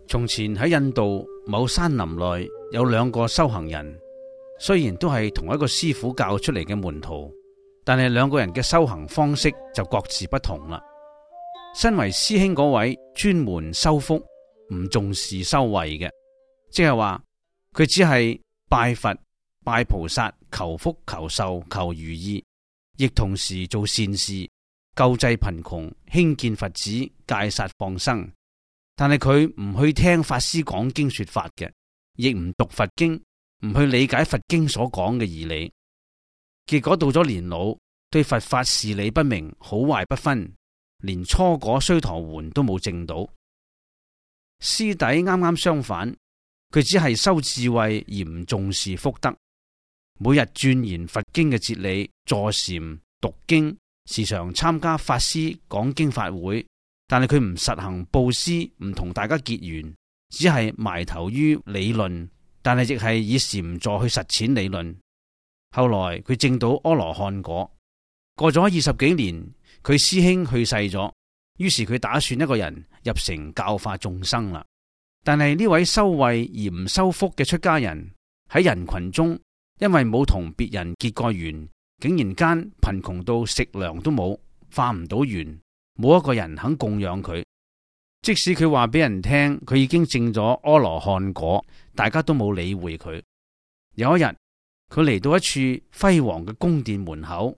從前喺印度某山林內有兩個修行人，雖然都係同一個師傅教出嚟嘅門徒，但係兩個人嘅修行方式就各自不同啦。身為師兄嗰位專門修福，唔重視修慧嘅，即係話佢只係拜佛、拜菩薩，求福、求壽、求如意，亦同時做善事，救濟貧窮、興建佛寺、戒殺放生。但係佢唔去聽法師講經說法嘅，亦唔讀佛經，唔去理解佛經所講嘅義理。結果到咗年老，對佛法事理不明，好壞不分，連初果須陀洹都冇證到。師弟啱啱相反，佢只係修智慧而唔重視福德，每日鑽研佛經嘅哲理，坐禪讀經，時常參加法師講經法會。但係佢唔實行布施，唔同大家結緣，只係埋頭於理論，但係亦係以禪坐去實踐理論。後來佢證到阿羅漢果，過咗20幾年，佢師兄去世咗，於是佢打算一個人入城教化眾生啦。但係呢位修慧而唔修福嘅出家人喺人群中，因為冇同別人結過緣，竟然間貧窮到食糧都冇，化唔到緣。冇一個人肯供養佢，即使佢話俾人聽佢已經證咗阿羅漢果，大家都冇理會佢。有一日，佢嚟到一處輝煌嘅宮殿門口，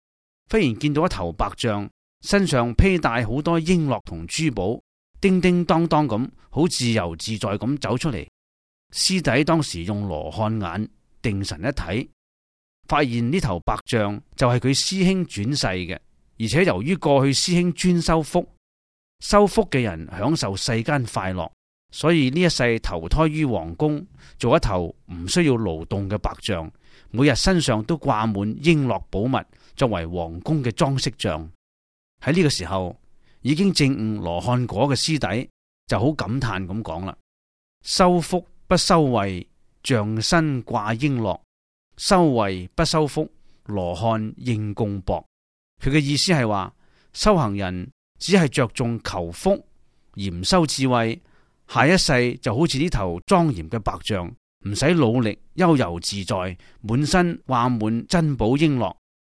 忽然見到一頭白象，身上披戴好多瓔珞同珠寶，叮叮當當咁，好自由自在咁走出嚟。師弟當時用羅漢眼定神一睇，發現呢頭白象就係佢師兄轉世嘅。而且由於過去師兄專修福，修福嘅人享受世間快樂，所以呢一世投胎於皇宮，做一頭唔需要勞動嘅白象，每日身上都掛滿瓔珞寶物，作為皇宮嘅裝飾像。喺呢個時候，已經證悟羅漢果嘅師弟就好感嘆咁講啦：修福不修慧，象身掛瓔珞；修慧不修福，羅漢應供帛。佢嘅意思係話，修行人只係着重求福而唔修智慧，下一世就好似呢頭莊嚴嘅白象，唔使努力，悠遊自在，滿身掛滿珍寶瓔珞，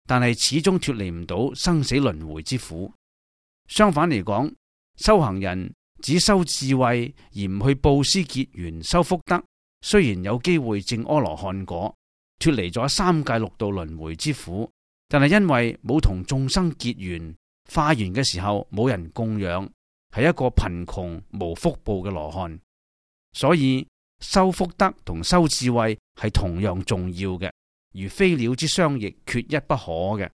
但係始終脫離唔到生死輪迴之苦。相反嚟講，修行人只修智慧而唔去布施結緣修福德，雖然有機會證阿羅漢果，脫離咗三界六道輪迴之苦，但係因為冇同眾生結緣，化緣嘅時候冇人供養，係一個貧窮無福報嘅羅漢。所以修福德同修智慧係同樣重要嘅，如飛鳥之雙翼，缺一不可嘅。